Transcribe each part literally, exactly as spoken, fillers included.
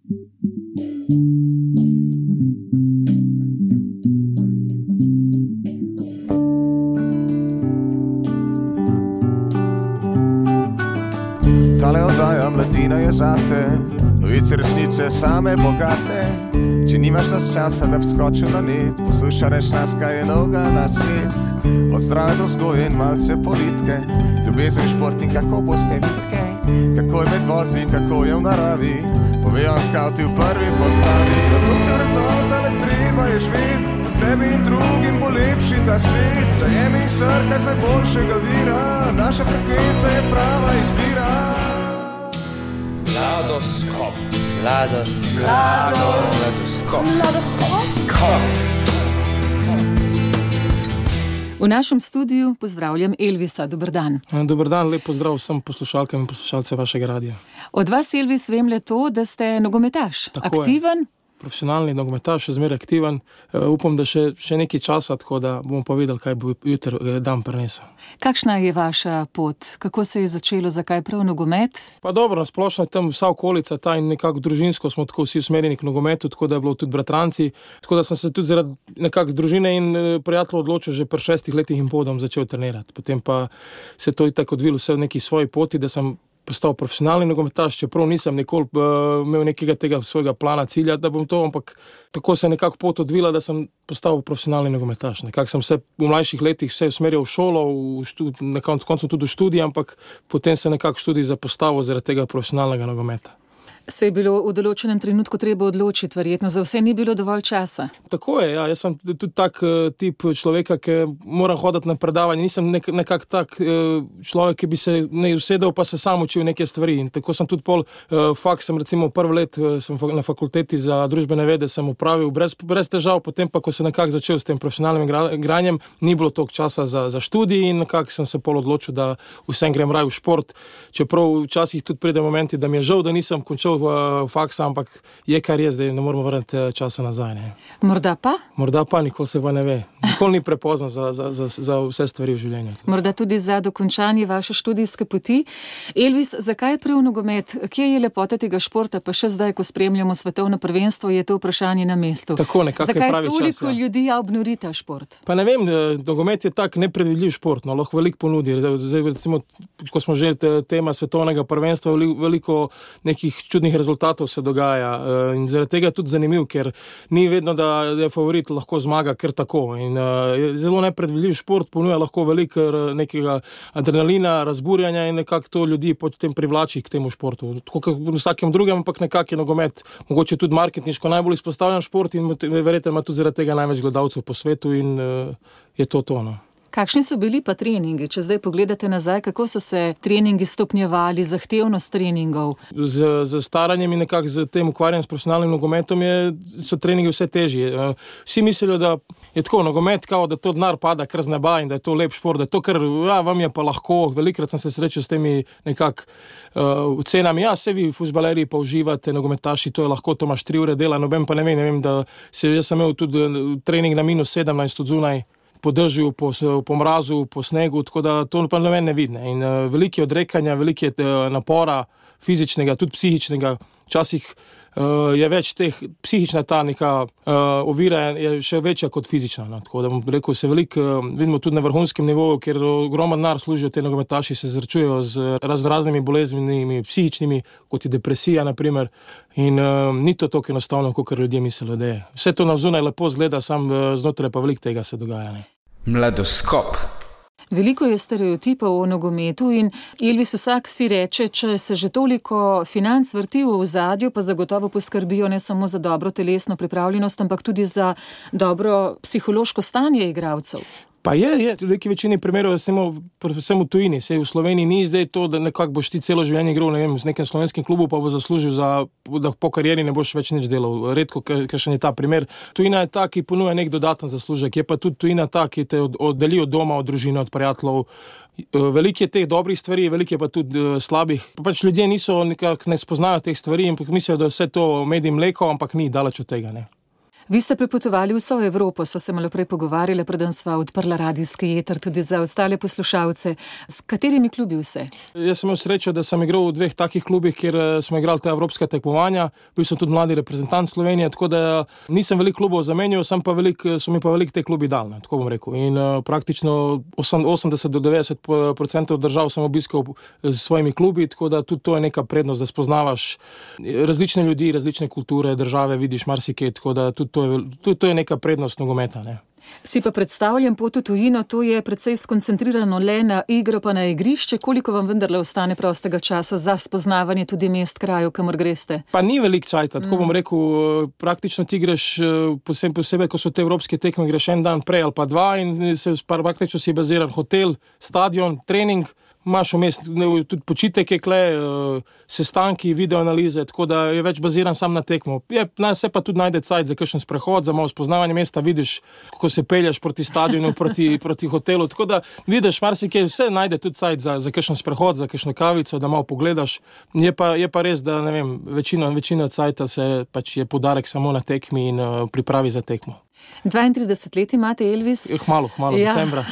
Tale oddaja mladina je zate, novice resnice same bogate. Če nimaš nas časa, da bi skočil na net, poslušaj reč nas, kaj je novega na svet. Od zdrave do vzgoje in malce politike, ljubezen, šport in kako boste vitke, kako je med vozi, kako je v naravi, povejo skauti v prvi postavi. Radost je vrednota, le treba je živeti, tebi in drugim bo lepši ta svet. Zajemi in srkaj z najboljšega vira, naša frekvenca je prava izbira. Mladoskop. Mladoskop. Mladoskop. Mladoskop. V našem studiu pozdravljam Elvisa. Dober dan. Dober dan, lep pozdrav vsem poslušalkam in poslušalcem vašega radija. Od vas, Elvis, vem le to, da ste nogometaš. Tako aktiven. Je. Profesionalni nogometaš, še zmeraj aktiven. Uh, upam, da še, še nekaj časa, tako da bomo pa videli, kaj bo jutri dan prinesel. Kakšna je vaša pot? Kako se je začelo? Zakaj prav nogomet? Pa dobro, nasplošno je tam vsa okolica, ta in nekako družinsko smo tako vsi usmerjeni k nogometu, tako da je bilo tudi bratranci. Tako da sem se tudi zaradi nekako družine in prijateljev odločil že pri šestih letih in podom začel trenirati. Potem pa se to tako odvilo vse v neki svoji poti, da sem postal profesionalni nogometaš, čeprav nisem nikoli uh, imel nekega tega svojega plana, cilja, da bom to, ampak tako se je nekako pot odvila, da sem postal profesionalni nogometaš. Nekako sem se v mlajših letih vse usmerjal v šolo, v študi, na koncu tudi v študij, ampak potem se nekako študij zapostavil zaradi tega profesionalnega nogometa. Se je bilo v določenem trenutku treba odločiti, verjetno za vse ni bilo dovolj časa. Tako je, ja, jaz sem tudi tak uh, tip človeka, ki moram hoditi na predavanje, nisem nek, nekak tak uh, človek, ki bi se ne usedel, pa se sam učil neke stvari. In tako sem tudi pol uh, faks, sem recimo prvi let uh, sem na fakulteti za družbene vede sem upravil brez, brez težav, potem pa, ko sem nekako začel s tem profesionalnim igranjem, ni bilo toliko časa za, za študij in nekako sem se pol odločil, da vsem grem raj v šport, čeprav včasih tudi pride momenti, da mi je žal, da nisem končal v faksa, ampak je kar je, zdaj ne moramo vrniti časa nazaj. Ne. Morda pa? Morda pa, nikoli se pa ne ve. Nikoli ni prepozno za, za, za, za vse stvari v življenju. Morda tudi za dokončanje vaše študijske poti. Elvis, zakaj prav nogomet? Kje je lepota tega športa? Pa še zdaj, ko spremljamo svetovno prvenstvo, je to vprašanje na mestu. Tako, nekako je pravi čas. Zakaj toliko ja. ljudi obnori ta šport? Pa ne vem, nogomet je tak nepredvidljiv šport, no, lahko veliko ponudi. Zdaj, recimo, ko smo že tema svetovnega prvenstva, veliko nekih čudnih rezultatov se dogaja in zaradi tega je tudi zanimiv, ker ni vedno, da je favorit lahko zmaga kar tako. In je zelo nepredvidljiv šport, ponuja lahko veliko nekega adrenalina, razburjanja in nekako to ljudi potem privlači k temu športu. Tako kot v vsakem drugem, ampak nekako je nogomet mogoče tudi marketinško najbolj izpostavljen šport in verjetno ima tudi zaradi tega največ gledalcev po svetu in je to to, no. Kakšni so bili pa treningi? Če zdaj pogledate nazaj, kako so se treningi stopnjevali, zahtevnost treningov? Z, z staranjem in nekako z tem ukvarjanjem s profesionalnim nogometom je, so treningi vse težji. Vsi mislijo, da je tako nogomet, kao, da to denar pada kar z neba in da je to lep šport, da je to kar, ja, vam je pa lahko. Velikrat sem se srečal s temi nekako uh, cenami. Ja, se vi fuzbalerji pa uživate, nogometaši, to je lahko, to imaš tri ure dela, noben pa ne vem, ne vem, da se, jaz sem imel tudi trening na minus sedemnajst od zunaj, po dežju, po, po mrazu, po snegu, tako da to pa ne meni ne vidne. In uh, veliki odrekanja, veliki uh, napora, fizičnega, tudi psihičnega, včasih uh, je več teh, psihična ta neka uh, ovira je še večja kot fizična. No? Tako da bom rekel, se veliko uh, vidimo tudi na vrhunskem nivoju, ker ogromno denar služijo te nogometaši, se zrečujejo z raz, raznimi boleznimi, psihičnimi, kot je depresija, na primer. In uh, ni to tako enostavno, kot ljudje mislijo, da je. Vse to navzunaj lepo zgleda, sam uh, znotraj pa veliko tega se dogaja. Ne? Mladoskop. Veliko je stereotipov o nogometu in Elvis, vsak si reče, če se že toliko financ vrti v ozadju, pa zagotovo poskrbijo ne samo za dobro telesno pripravljenost, ampak tudi za dobro psihološko stanje igralcev. Pa je, je, v neki večini primerov, predvsem v tujini, sej v Sloveniji ni zdaj to, da nekako boš ti celo življenje igral, ne vem, z nekem slovenskim klubu, pa bo zaslužil za, da po karieri ne boš več nič delal. Redko, kakšen je ta primer. Tujina je ta, ki ponuja nek dodaten zaslužek, je pa tudi tujina ta, ki te oddeli od doma, od družine, od prijateljev. Veliko je teh dobrih stvari, veliko je pa tudi uh, slabih. Pa pač ljudje niso, nekako ne spoznajo teh stvari in mislijo, da vse to med in mleko, ampak ni daleč od tega, ne. Vi ste prepotovali vso Evropo, sva se malo prej pogovarjala, preden sva odprla radijski eter tudi za ostale poslušalce. S katerimi klubi vse? Jaz sem imel srečo, da sem igral v dveh takih klubih, kjer smo igrali te evropske tekmovanja. Bil sem tudi mladi reprezentant Slovenije, tako da nisem veliko klubov zamenjal, sem pa velik, so mi pa veliko te klubi dal, ne, tako bom rekel. In uh, praktično osemdeset do devetdeset procentov držav sem obiskal s svojimi klubi, tako da tudi to je neka prednost, da spoznavaš različne ljudi, različne kulture, države, vidiš marsikaj, tako da tudi To je, to je neka prednost nogometa. Ne? Si pa predstavljam pot v tujino, to je precej skoncentrirano le na igro pa na igrišče. Koliko vam vendarle ostane prostega časa za spoznavanje tudi mest, krajev, kamor greste? Pa ni velik čajta, tako mm. bom rekel, praktično ti greš posebej, posebej, ko so te evropske tekme, greš en dan prej ali pa dva in se praktično si baziran hotel, stadion, trening, imaš vmes tudi počitek je kle, sestanki, videoanalize, tako da je več baziran sam na tekmo. Je, se pa tudi najde cajt za kakšen sprehod, za malo spoznavanje mesta, vidiš, kako se pelješ proti stadionu, proti, proti hotelu, tako da vidiš marsikaj, vse najde tudi cajt za, za kakšen sprehod, za kakšno kavico, da malo pogledaš. Je pa, je pa res, da ne vem, večina, večina cajta se pač je poudarek samo na tekmi in uh, pripravi za tekmo. dvaintrideset let imate, Elvis. Hmalo, hmalo, ja. Decembra.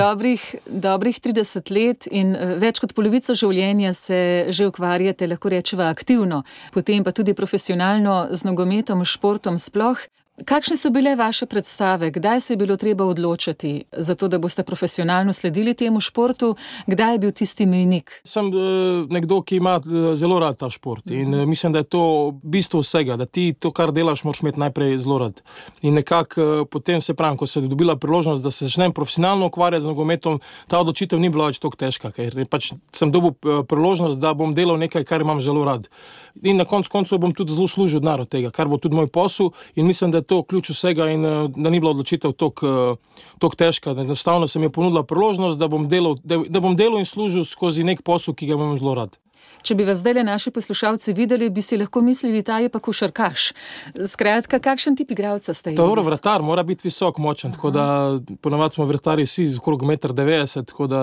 dobrih, dobrih trideset let in več kot polovico življenja se že ukvarjate, lahko rečeva, aktivno, potem pa tudi profesionalno z nogometom, športom sploh. Kakšne so bile vaše predstave? Kdaj se je bilo treba odločiti za to, da boste profesionalno sledili temu športu? Kdaj je bil tisti mejnik? Sem uh, nekdo, ki ima uh, zelo rad ta šport in uh, mislim, da je to bistvo vsega, da ti to, kar delaš, moraš imeti najprej zelo rad. In nekako uh, potem se pravim, ko se je dobila priložnost, da se začnem profesionalno ukvarjati z nogometom, ta odločitev ni bila več tako težka, ker pač sem dobil uh, priložnost, da bom delal nekaj, kar imam zelo rad. In na koncu koncev bom tudi zelo služil denar od tega, kar bo tudi moj posel in mislim, da je to ključ vsega in da ni bila odločitev tako težka. Enostavno se mi je ponudila priložnost, da bom delal, da, da bom delal in služil skozi nek posel, ki ga imam zelo rad. Če bi vas zdaj naši poslušalci videli, bi si lahko mislili, ta je pa košarkaš. Skratka, kakšen tip igralca ste? Dobro, vratar mora biti visok, močen, tako da ponavadi smo vratarji vsi okrog meter devetdeset, tako da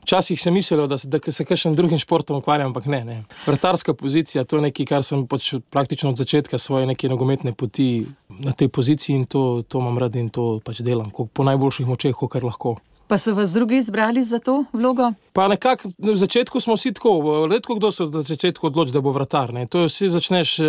včasih se mislilo, da se, da se kakšen drugim športom ukvarjam, ampak ne, ne. Vratarska pozicija, to je nekaj, kar sem pač praktično od začetka svoje neke nogometne poti na tej poziciji in to, to imam rad in to pač delam, po najboljših močeh, kar lahko. Pa so vas drugi izbrali za to vlogo? Pa nekako, v začetku smo vsi tako, redko kdo se v začetku odloči, da bo vratar, ne. To je, vsi začneš uh,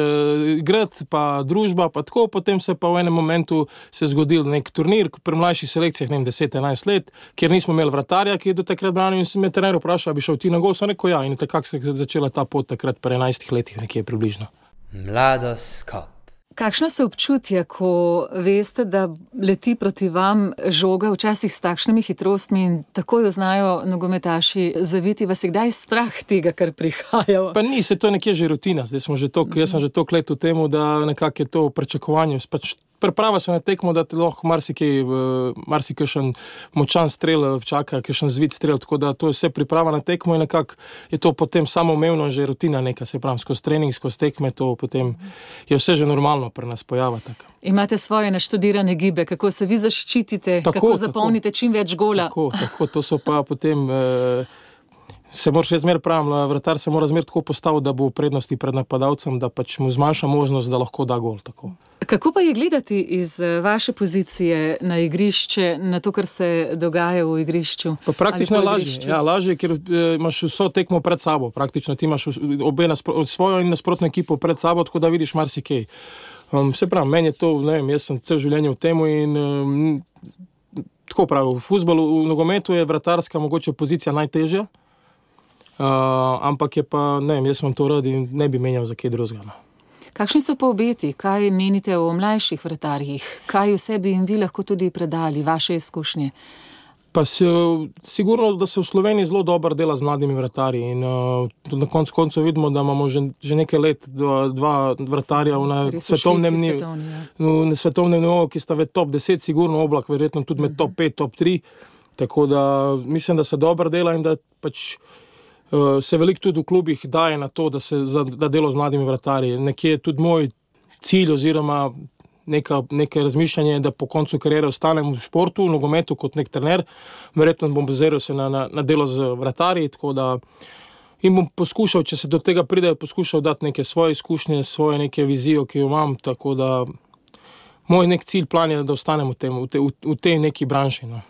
igrati, pa družba, pa tako, potem se pa v enem momentu se je zgodil nek turnir pri mlajših selekcijah, ne vem, deset enajst let, kjer nismo imeli vratarja, ki je do takrat branil in se me trener vprašal, bi šel ti na gol, sem rekel ja, in takrat se je začela ta pot takrat pri enajstih letih nekje približno. Mladost Cup. Kakšna so občutja, ko veste, da leti proti vam žoga včasih s takšnimi hitrostmi in tako jo znajo nogometaši zaviti? Vas je kdaj strah tega, kar prihaja? Pa ni, se to nekje že rutina. Zdaj smo že tok, jaz sem že toliko let v temu, da nekako je to pričakovanje. Pač priprava se na tekmo, da te lahko marsikaj, marsikajšen močan strel čaka, kakšen zvit strel, tako da to je vse priprava na tekmo in nekako je to potem samoumevno že rutina neka, se pravim, skozi trening, skozi tekme, to potem je vse že normalno pri nas pojava. Tako. Imate svoje naštudirane gibe, kako se vi zaščitite, tako, kako zapolnite tako, čim več gola. Tako, tako, to so pa potem... Eh, se moraš še zmer pravim, vratar se mora zmer tako postaviti, da bo v prednosti pred napadalcem, da pač mu zmanjša možnost, da lahko da gol. Tako. Kako pa je gledati iz vaše pozicije na igrišče, na to, kar se dogaja v igrišču? Pa praktično lažje, ja, lažje, ker e, imaš vso tekmo pred sabo, praktično ti imaš obe naspro, svojo in nasprotno ekipo pred sabo, tako da vidiš marsikaj. Um, se pravi, meni je to, ne vem, jaz sem cel življenje v temu in um, tako pravi, v fuzbalu, v nogometu je vratarska mogoče pozicija najtežja. Uh, ampak je pa, ne vem, jaz vam to rad in ne bi menjal za kaj drugega. Kakšni so pa obeti? Kaj menite o mlajših vratarjih? Kaj vse bi jim vi lahko tudi predali, vaše izkušnje? Pa se, sigurno, da se v Sloveniji zelo dobro dela z mladimi vratarji in uh, na koncu koncev vidimo, da imamo že, že nekaj let dva, dva vratarja na svetovnem nivoju, na svetovnem nivoju, ki sta v top deset, sigurno Oblak, verjetno tudi med top pet, top tri, tako da mislim, da se dobro dela in da pač Uh, se veliko tudi v klubih daje na to, da se za, da delo z mladimi vratarji. Nekje je tudi moj cilj oziroma neka, neka razmišljanje, da po koncu karijere ostanem v športu, v nogometu kot nek trener. Verjetno bom baziral se na, na, na delo z vratarji, tako da in bom poskušal, če se do tega pride, poskušal dati neke svoje izkušnje, svoje neke vizijo, ki jo imam, tako da moj nek cilj, plan je, da ostanem v, tem, v, te, v, v tej neki branži. No.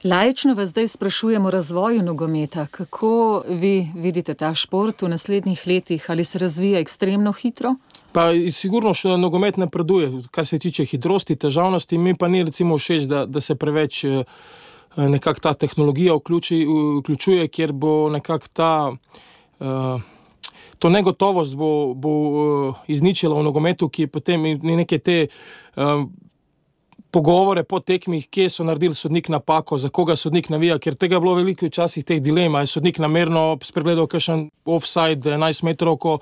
Laično vas zdaj sprašujemo o razvoju nogometa. Kako vi vidite ta šport v naslednjih letih? Ali se razvija ekstremno hitro? Pa sigurno še nogomet napreduje, kar se tiče hitrosti, težavnosti. Mi pa ni recimo všeč, da, da se preveč nekako ta tehnologija vključi, vključuje, kjer bo nekako ta... Uh, to negotovost bo, bo uh, izničila v nogometu, ki potem neke te... Uh, pogovore po tekmih, kje so naredili sodnik napako, za koga sodnik navija, ker tega je bilo veliko včasih teh dilema, je sodnik namerno spregledal kakšen offside enajst metrov, ko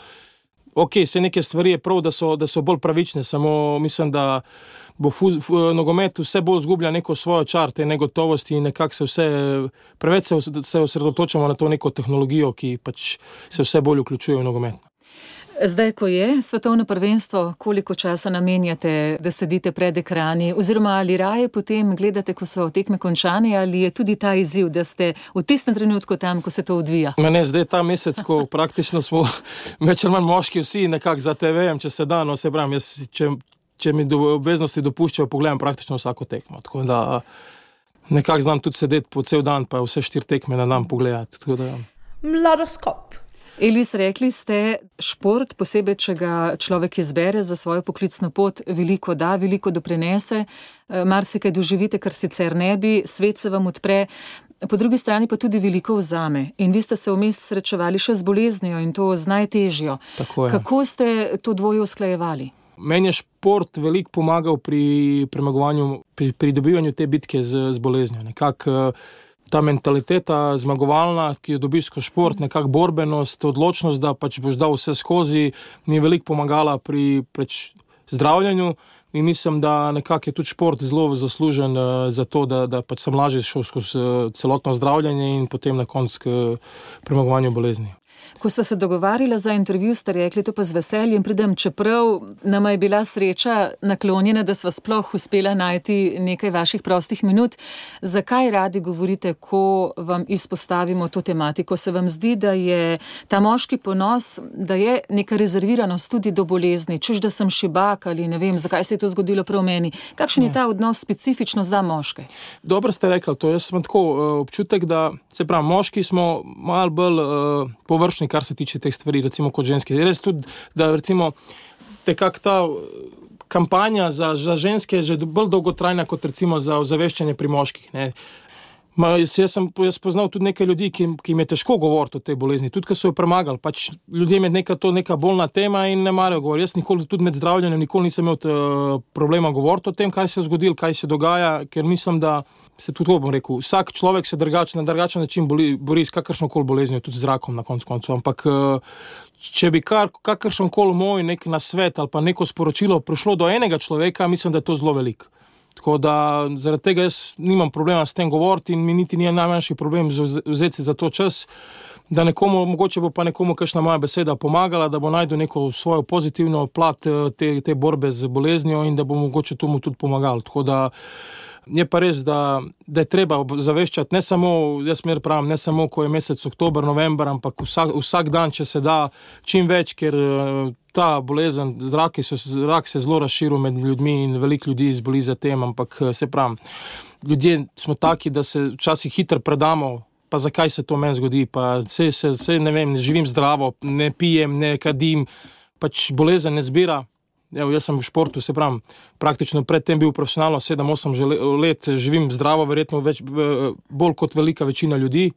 ok, se neke stvari je prav, da so, da so bolj pravične, samo mislim, da bo fuz, f, nogomet vse bolj zgublja neko svojo čar, te negotovosti in nekako se vse, preveč se, se osredotočamo na to neko tehnologijo, ki pač se vse bolj vključuje v nogomet. Zdaj, ko je svetovno prvenstvo, koliko časa namenjate, da sedite pred ekrani, oziroma ali raje potem gledate, ko so tekme končane, ali je tudi ta izziv, da ste v tistem trenutku tam, ko se to odvija? Ne, zdaj ta mesec, ko praktično smo več ali manj moški vsi nekako za te ve, če se da, no se pravim, jaz, če, če mi do, obveznosti dopuščajo, pogledam praktično vsako tekmo, tako da nekako znam tudi sedeti po cel dan, pa vse štiri tekme na dan pogledati, tako da... Mladoskop. Elvis, rekli ste, šport, posebej, če ga človek izbere za svojo poklicno pot, veliko da, veliko doprinese, marsikaj doživite, kar sicer ne bi, svet se vam odpre, po drugi strani pa tudi veliko vzame. In vi ste se vmes srečevali še z boleznijo in to z najtežjo. Tako je. Kako ste to dvoje usklajevali? Meni je šport veliko pomagal pri premagovanju, pri pridobivanju te bitke z, z boleznijo. Nekako ta mentaliteta zmagovalna, ki jo dobiš skozi šport, nekak borbenost, odločnost, da pač boš dal vse skozi, mi je veliko pomagala pri preč zdravljanju in mislim, da nekak je tudi šport zelo zaslužen uh, za to, da, da pač sem lažje šel skozi uh, celotno zdravljanje in potem na koncu k premagovanju bolezni. Ko sva se dogovarjala za intervju, ste rekli, to pa z veseljem pridem, čeprav nama je bila sreča naklonjena, da sva sploh uspela najti nekaj vaših prostih minut. Zakaj radi govorite, ko vam izpostavimo to tematiko? Se vam zdi, da je ta moški ponos, da je neka rezerviranost tudi do bolezni, češ da sem šibak ali ne vem, zakaj se je to zgodilo prav meni? Kakšen je ta odnos specifično za moške? Dobro ste rekli to, jaz sem tako uh, občutek, da se pravi, moški smo malo bolj uh, površni, kar se tiče teh stvari, recimo kot ženske. Res tudi, da recimo tekak ta kampanja za, za ženske je že bolj dolgotrajna kot recimo za ozaveščanje pri moških, ne. Ma, jaz, jaz sem jaz poznal tudi nekaj ljudi, ki, ki jim je težko govoriti o tej bolezni, tudi ko so jo premagali, pač ljudem je neka, to neka bolna tema in ne marajo govoriti. Jaz nikoli tudi med zdravljenjem nikoli nisem imel uh, problema govoriti o tem, kaj se je zgodilo, kaj se dogaja, ker mislim, da se tudi to bom rekel, vsak človek se drugač, na drugačen način boli, bori s kakršnokoli boleznijo, tudi z rakom na koncu koncu, ampak uh, če bi kar, kakršenkoli moj nek nasvet ali pa neko sporočilo prišlo do enega človeka, mislim, da je to zelo veliko. Tako da zaradi tega jaz nimam problema s tem govoriti in mi niti ni najmanjši problem vzeti za to čas, da nekomu, mogoče bo pa nekomu kakšna moja beseda pomagala, da bo najdel neko svojo pozitivno plat te, te borbe z boleznijo in da bo mogoče tomu tudi pomagal. Tako da je pa res, da, da je treba zaveščati ne samo, jaz mer pravim, ne samo, ko je mesec oktober, november, ampak vsak, vsak dan, če se da, čim več, ker ta bolezen, rak, so, rak se zelo razširil med ljudmi in veliko ljudi zboli za tem, ampak se pravim, ljudje smo taki, da se včasih hitro predamo, pa zakaj se to meni zgodi, pa se, se, se ne vem, ne živim zdravo, ne pijem, ne kadim, pač bolezen ne zbira. Evo, jaz sem v športu, se pravim, praktično predtem bil profesionalno sedem osem let, živim zdravo, verjetno več, bolj kot velika večina ljudi,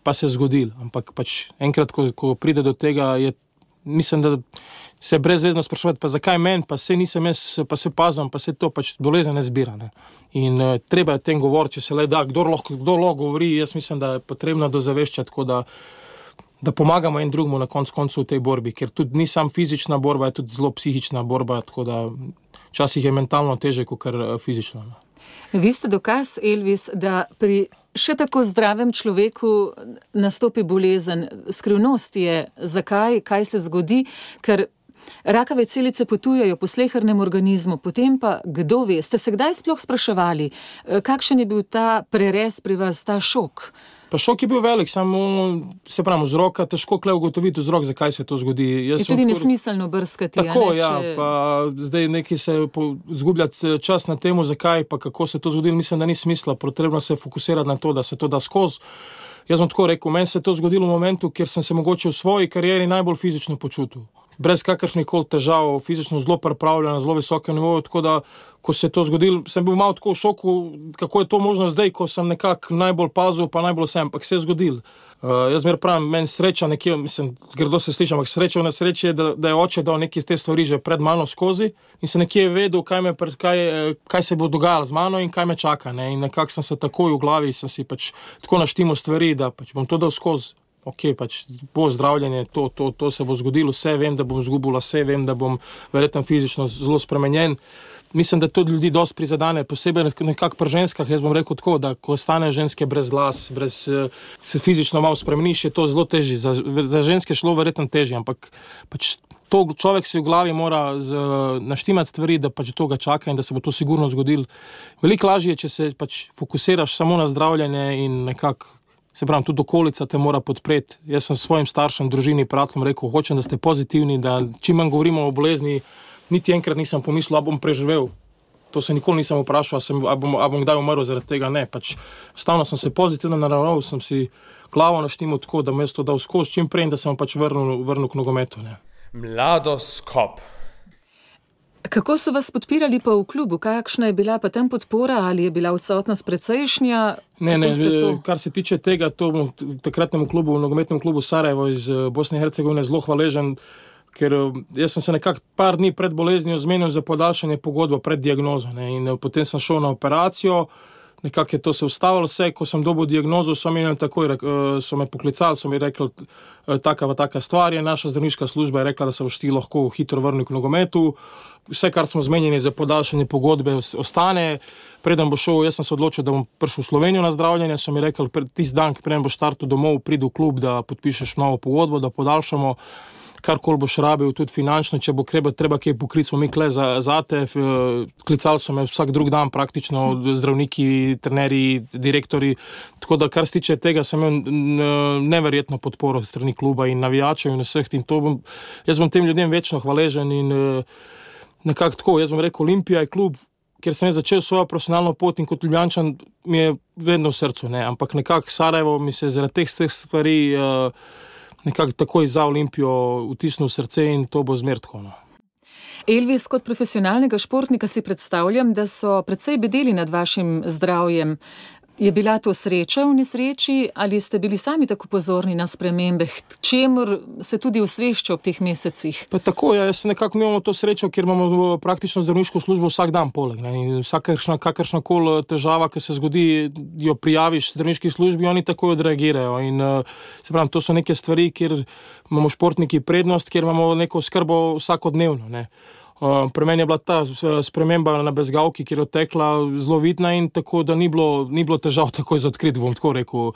pa se je zgodil. Ampak pač enkrat, ko, ko pride do tega, je, mislim, da se je brezvezno sprašovati, pa zakaj meni, pa se nisem jaz, pa se pazam, pa se to pač bolezen ne zbira. Ne? In uh, treba je tem govoriti, če se le da, kdor lahko, kdor lahko govori, jaz mislim, da je potrebno dozaveščati, tako da da pomagamo en drugemu na koncu koncu v tej borbi, ker tudi ni sam fizična borba, je tudi zelo psihična borba, tako da včasih je mentalno teže, kot kar fizično. Vi ste dokaz, Elvis, da pri še tako zdravem človeku nastopi bolezen. Skrivnost je, zakaj, kaj se zgodi, ker rakave celice potujejo po slehernem organizmu, potem pa, kdo ve, ste se kdaj sploh spraševali, kakšen je bil ta prerez pri vas, ta šok? Pa šok je bil velik, samo se pravi, vzroka, težko kle ugotoviti vzrok, zakaj se to zgodi. Jaz je tudi kor... nesmiselno brskati. Tako, ne, ja, če... pa zdaj neki se zgubljati čas na temu, zakaj, pa kako se to zgodilo, mislim, da ni smisla, potrebno se fokusirati na to, da se to da skozi. Jaz bom tako rekel, meni se je to zgodilo v momentu, kjer sem se mogoče v svoji karieri najbolj fizično počutil. Brez kakršnih koli težav, fizično zelo pripravljen, na zelo visokem nivoju, tako da, ko se je to zgodilo, sem bil malo tako v šoku, kako je to možno zdaj, ko sem nekako najbolj pazil, pa najbolj sem, ampak se je zgodilo. Uh, jaz mer pravim, meni sreča nekje, mislim, grdo se slišam, ampak sreča v nesreči je, da, da je oče dal neke te stvari že pred mano skozi in se nekje je vedel, kaj, me, kaj, kaj se bo dogajalo z mano in kaj me čaka, ne, in nekako sem se takoj v glavi, sem si pač tako naštimo stvari, da pač bom to dal skozi. Ok, pač bo zdravljenje, to, to, to se bo zgodilo, vse vem, da bom zgubil lase, vem, da bom verjetno fizično zelo spremenjen. Mislim, da to ljudi dosti prizadane, posebej nekako pri ženskah, jaz bom rekel tako, da ko stane ženske brez las, brez, se fizično malo spremeniš, je to zelo težje. Za, za ženske šlo verjetno težje, ampak pač to človek si v glavi mora z, naštimati stvari, da pač to ga čaka in da se bo to sigurno zgodilo. Veliko lažje je, če se pač fokusiraš samo na zdravljenje in nekako se pravim, tudi okolica te mora podpreti. Jaz sem svojim staršem, družini, prijateljem rekel, hočem, da ste pozitivni, da čim manj govorimo o bolezni, niti enkrat nisem pomislil, a bom preživel. To se nikoli nisem vprašal, a, sem, a, bom, a bom kdaj umrl zaradi tega, ne. Pač stavno sem se pozitivno naravnal, sem si glavo naštimal tako, da me je to dal skozi čim prej, da sem pač vrnil, vrnil k nogometu, ne. Mladoskop. Kako so vas podpirali pa v klubu? Kakšna je bila pa tam podpora? Ali je bila odsotnost precejšnja? Ne, ne, kar se tiče tega, to bom takratnemu klubu, nogometnemu klubu Sarajevo iz Bosne in Hercegovine zelo hvaležen, ker jaz sem se nekako par dni pred boleznijo zmenil za podaljšanje pogodbe pred diagnozo, ne, in potem sem šel na operacijo, nekako je to se ustavilo vse, ko sem dobil diagnozo, so mi takoj, so me poklicali, so mi rekli, taka pa taka stvar je, naša zdravniška služba je rekla, da se boš ti lahko hitro vrnil k nogometu, vse, kar smo zmenjeni za podaljšanje pogodbe, ostane, preden bo šel, jaz sem se odločil, da bom prišel v Slovenijo na zdravljenje, so mi rekli, tisti dan, preden boš startil domov, pridi v klub, da podpišeš novo pogodbo, da podaljšamo, karkoli boš rabil, tudi finančno, če bo treba, treba kaj pokriti, smo mi kle za, za te, klicali so me vsak drug dan praktično, zdravniki, trenerji, direktori, tako da kar se tiče tega, sem imel neverjetno podporo strani kluba in navijačev in vseh, in to bom, jaz bom tem ljudem večno hvaležen in nekako tako, jaz bom rekel, Olimpija je klub, kjer sem začel svojo profesionalno pot in kot Ljubljančan mi je vedno v srcu, ne, ampak nekako Sarajevo mi se zaradi teh stvari nekako takoj za Olimpijo vtisnil srce in to bo zmer tako, no. Elvis, kot profesionalnega športnika si predstavljam, da so precej bedeli nad vašim zdravjem. Je bila to sreča v nesreči ali ste bili sami tako pozorni na spremembe, čemur se tudi osvešča ob teh mesecih? Pa tako, ja, jaz nekako imamo to srečo, ker imamo praktično zdravniško službo vsak dan poleg, ne, in vsakršna, kakršna kol težava, ki se zgodi, jo prijaviš zdravniški službi, oni takoj odreagirajo in se pravim, to so neke stvari, kjer imamo športniki prednost, kjer imamo neko skrbo vsakodnevno, ne. Uh, pri meni je bila ta sprememba na bezgavki, kjer je odtekla zelo vidna in tako, da ni bilo, ni bilo težav takoj za odkriti, bom tako rekel.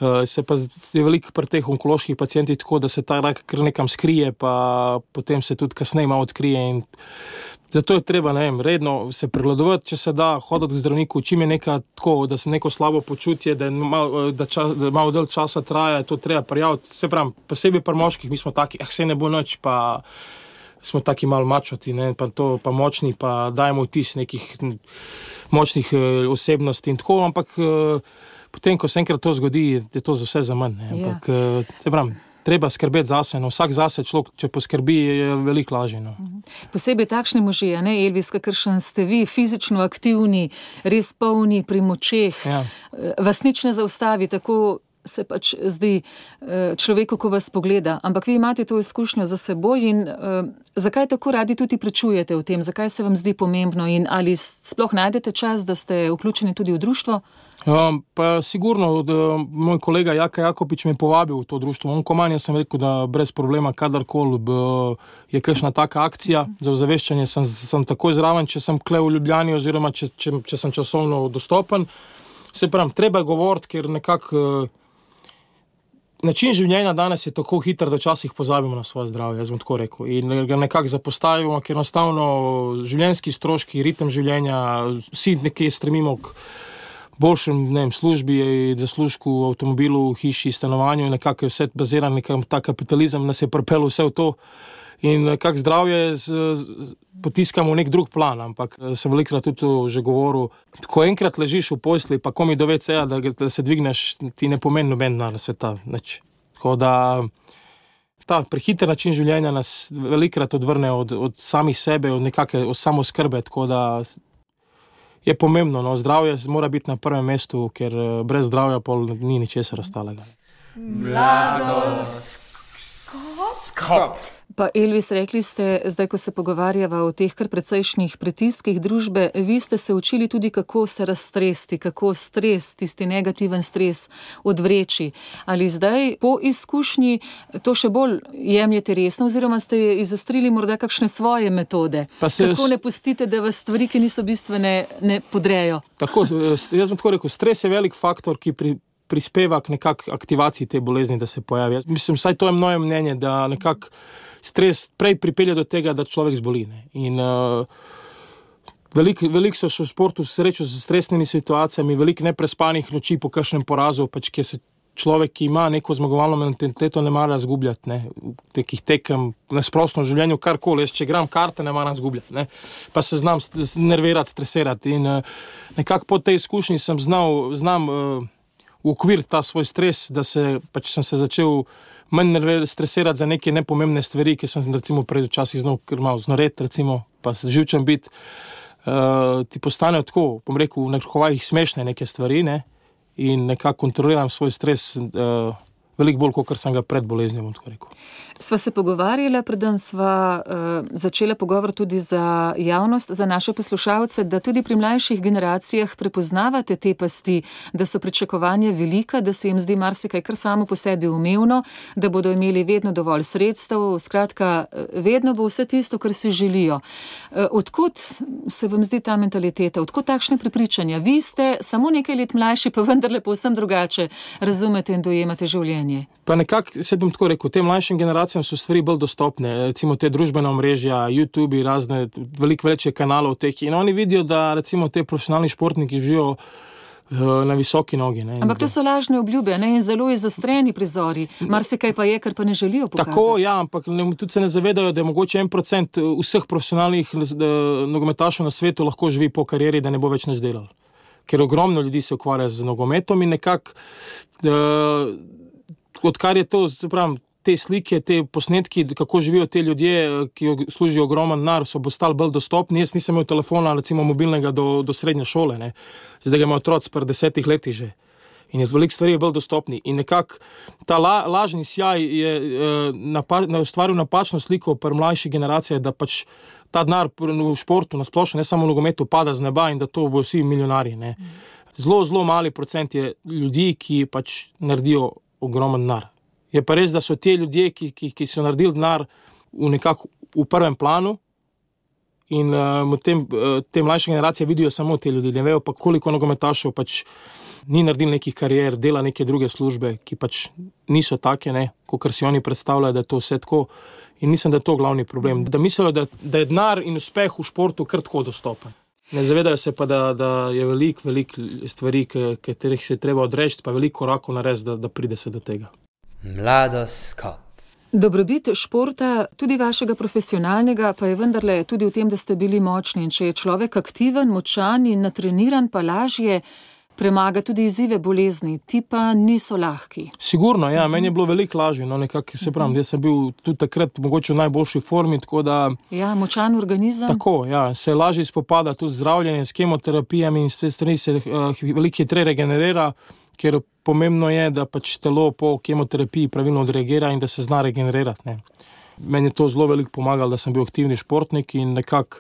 Uh, se pa je veliko pri teh onkoloških pacientih tako, da se ta rak kar nekam skrije, pa potem se tudi kasneje malo odkrije in zato je treba, ne vem, redno se pregledovati, če se da, hoditi k zdravniku, čim je neka tako, da se neko slabo počutje, da, mal, da, čas, da malo del časa traja, to treba prijaviti. Se pravim, posebej pri moških, mi smo taki, ah, se ne bo nič, pa smo taki malo mačoti, ne, pa to, pa močni, pa dajemo vtis nekih močnih uh, osebnosti in tako, ampak uh, potem, ko se enkrat to zgodi, je to za vse za manj, ne, ampak yeah. uh, se pravim, treba skrbeti zase, no, vsak zase človek, če poskrbi, je veliko lažje, no. Posebej takšni možje, ne, Elvis, kakršen ste vi, fizično aktivni, res polni pri močeh, ja. Vas nič ne zaustavi, tako se pač zdi človeku, ko vas pogleda, ampak vi imate to izkušnjo za seboj in uh, zakaj tako radi tudi pričujete v tem, zakaj se vam zdi pomembno in ali sploh najdete čas, da ste vključeni tudi v društvo? Um, pa sigurno, da moj kolega Jaka Jakopič me povabil v to društvo. On komanja sem rekel, da brez problema kadarkoli je kakšna taka akcija za ozaveščanje, sem, sem takoj zraven, če sem kle v Ljubljani oziroma če, če, če sem časovno dostopen. Se pravim, treba govoriti, ker nekako način življenja danes je tako hiter, da včasih pozabimo na svoje zdravje, jaz bom tako rekel. In ga nekako zapostavimo, ker enostavno življenjski stroški, ritem življenja, vsi nekje stremimo k boljšem, ne vem, službi, zaslužku, avtomobilu, hiši, stanovanju, nekako je vse baziran, nekako ta kapitalizem nas je pripeljal vse v to. In nekako zdravje z, z, potiskamo v nek drug plan, ampak sem velikrat tudi to že govoril, ko enkrat ležiš v posli, pa komi do ve ceja, da, da se dvigneš, ti ne pomeni noben denar sveta, nič. Tako da ta prehiter način življenja nas velikrat odvrne od, od samih sebe, od nekake od samoskrbe, tako da je pomembno, no, zdravje mora biti na prvem mestu, ker brez zdravja pol ni ničesar ostalega. Mladoskop. Pa Elvis, rekli ste, zdaj, ko se pogovarjava o teh kar precejšnjih pritiskih družbe, vi ste se učili tudi, kako se razstresti, kako stres, tisti negativen stres odvreči. Ali zdaj po izkušnji to še bolj jemljete resno, oziroma ste izostrili morda kakšne svoje metode? Se, kako ne pustite, da vas stvari, ki niso bistvene, ne podrejo? Tako, jaz bom tako rekel, stres je velik faktor, ki pri prispeva k nekak aktivaciji te bolezni, da se pojavi. Mislim, saj to je moje mnenje, da nekak stres prej pripelje do tega, da človek zboli. Ne? In uh, veliko velik so še v sportu srečo z stresnimi situacijami, veliko neprespanih noči po kakšnem porazu, pač kje se človek, ki ima neko zmagovalno mentaliteto, ne mara zgubljati, ne? V tekih tekem, na splošno življenju, karkoli. Jaz, če gram karte, ne mara zgubljati, ne? Pa se znam nervirati, stresirati. In uh, nekako po tej izkušnji sem znal, znam uh, v okvir ta svoj stres, da se, pač sem se začel manj stresirati za neke nepomembne stvari, ki sem recimo pred včasih znal malo znoret, recimo, pa se živčen biti, uh, ti postanejo tako, bom rekel, v nekaj smešne neke stvari, ne, in nekako kontroliram svoj stres uh, veliko bolj, kot sem ga pred boleznijo, bom tako rekel. Sva se pogovarjala, preden sva uh, začela pogovor tudi za javnost, za naše poslušalce, da tudi pri mlajših generacijah prepoznavate te pasti, da so pričakovanja velika, da se jim zdi marsikaj kar samo po sebi umevno, da bodo imeli vedno dovolj sredstev, skratka, vedno bo vse tisto, kar si želijo. Uh, odkot se vam zdi ta mentaliteta, odkot takšne prepričanja? Vi ste samo nekaj let mlajši, pa vendarle povsem drugače razumete in dojemate življenje. Pa nekako, se bom tako rekel, tem mlajšim generacijam so stvari bolj dostopne, recimo te družbene omrežja, YouTube, razne, veliko več je kanalov teh, in oni vidijo, da recimo te profesionalni športniki živijo uh, na visoki nogi. Ne? Ampak to so lažne obljube, ne? In zelo izostreni prizori. Marsikaj pa je, kar pa ne želijo pokazati. Tako, ja, ampak ne, tudi se ne zavedajo, da je mogoče en procent vseh profesionalnih uh, nogometašov na svetu lahko živi po karieri, da ne bo več nič delal. Ker ogromno ljudi se ukvarja z nogometom in nekako uh, odkar je to, se pravim, te slike, te posnetki, kako živijo te ljudje, ki služijo ogromen denar, so postali bolj dostopni. Jaz nisem imel telefona, recimo mobilnega, do, do srednje šole, ne. Zdaj ga ima otroc pri desetih letih že. In je veliko stvari je bolj dostopni. In nekako ta la, lažni sjaj je eh, napa, ustvaril napačno sliko pri mlajši generaciji, da pač ta denar v športu, na splošno, ne samo v nogometu, pada z neba in da to bo vsi milijonarji, ne. Zelo, zelo mali procent je ljudi, ki pač naredijo ogromen denar. Je pa res, da so te ljudje, ki, ki, ki so naredili denar v nekako v prvem planu in uh, tem, uh, te mlajše generacije vidijo samo te ljudi, ne vejo pa koliko nogometašov pač ni naredil nekih karier, dela neke druge službe, ki pač niso take, ne, kakor si oni predstavljajo, da je to vse tako, in mislim, da je to glavni problem. Da mislijo, da, da je denar in uspeh v športu kar tako dostopen. Ne zavedajo se pa, da, da je veliko, veliko stvari, katerih se treba odreči, pa veliko korakov narediti, da, da pride se do tega. Mladoskop. Dobrobit športa, tudi vašega profesionalnega, pa je vendarle tudi v tem, da ste bili močni. In če je človek aktiven, močan in natreniran, pa lažje premaga tudi izzive bolezni. Ti pa niso lahki. Sigurno, ja, meni je bilo veliko lažje. No, nekako se pravim, jaz sem bil tudi takrat mogoče v najboljši formi, tako da... Ja, močan organizem. Tako, ja, se lažje spopada tudi zdravljenje s kemoterapijami in s te strani se uh, veliko hitreje regenerira, ker pomembno je, da pač telo po kemoterapiji pravilno odreagira in da se zna regenerirati, ne. Meni je to zelo veliko pomagalo, da sem bil aktivni športnik in nekako,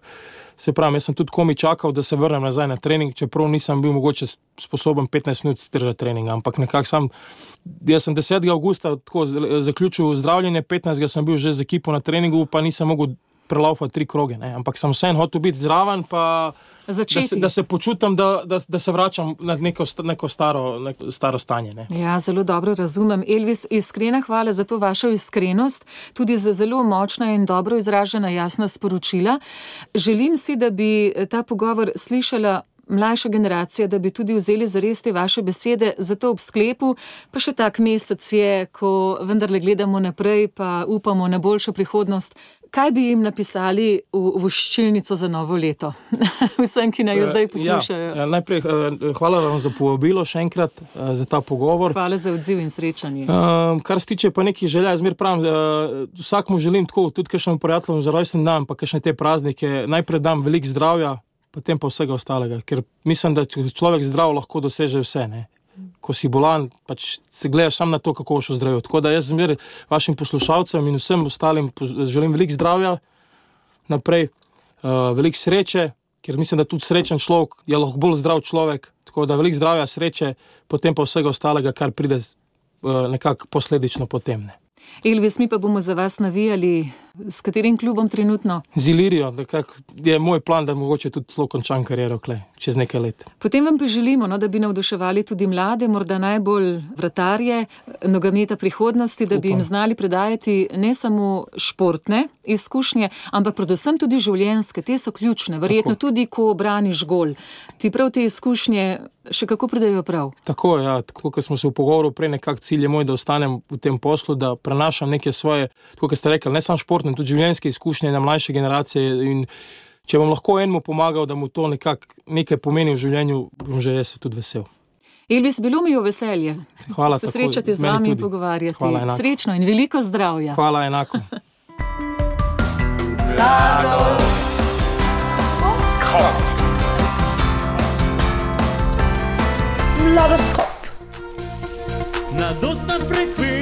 se pravim, jaz sem tudi komi čakal, da se vrnem nazaj na trening, čeprav nisem bil mogoče sposoben petnajst minut stržati treninga, ampak nekako sam, jaz sem desetega avgusta tako zaključil zdravljenje, petnajstega sem bil že z ekipo na treningu, pa nisem mogel prelaufati tri kroge, ne, ampak sem vseeno hotel biti zraven, pa da se, da se počutim, da, da, da se vračam na neko, neko, staro, neko staro stanje. Ne. Ja, zelo dobro razumem. Elvis, iskrena hvala za to vašo iskrenost, tudi za zelo močna in dobro izražena jasna sporočila. Želim si, da bi ta pogovor slišala mlajša generacija, da bi tudi vzeli zares te vaše besede, zato ob sklepu, pa še tak mesec je, ko vendarle gledamo naprej, pa upamo na boljšo prihodnost. Kaj bi jim napisali v voščilnico za novo leto? Vsem, ki naj jo zdaj poslušajo. Ja, najprej hvala vam za povabilo še enkrat, za ta pogovor. Hvala za odziv in srečanje. Um, kar se tiče pa nekih želja, zmer pravim, uh, vsakmu želim tako, tudi kakšnem prijateljem za rojsten dan, pa kakšne te praznike, najprej dam veliko zdravja, potem pa vsega ostalega, ker mislim, da človek zdrav lahko doseže vse, ne. Ko si bolan, pač se gledaš sam na to, kako boš ozdravil. Tako da jaz zmer vašim poslušalcem in vsem ostalim želim veliko zdravja naprej, uh, veliko sreče, ker mislim, da tudi srečen človek je lahko bolj zdrav človek, tako da veliko zdravja, sreče, potem pa vsega ostalega, kar pride uh, nekako posledično potem, ne. Elvis, mi pa bomo za vas navijali s katerim klubom trenutno? Z Ilirijo, nekako je moj plan, da mogoče tudi celo končam kariero kle, čez nekaj let. Potem vam pa želimo, no, da bi navduševali tudi mlade, morda najbolj vratarje nogometa prihodnosti, da bi jim znali predajati ne samo športne izkušnje, ampak predvsem tudi življenjske, te so ključne, verjetno tako. Tudi, ko braniš gol. Ti prav te izkušnje še kako pridejo prav? Tako, ja, tako, kot smo se v pogovoru prej, nekak cilj je moj, da ostanem v tem poslu, da prenašam neke svoje, tako kot ste rekli, ne samo športne, tudi življenjske izkušnje na mlajše generacije in če bom lahko enemu pomagal, da mu to nekak nekaj pomeni v življenju, bom že jaz tudi vesel. Elvis, bilo mi je veselje. Hvala, se srečati z vami in pogovarjati. Hvala, srečno in veliko zdravja. Hvala, enako. Mladoskop. Mladost na frekvenci.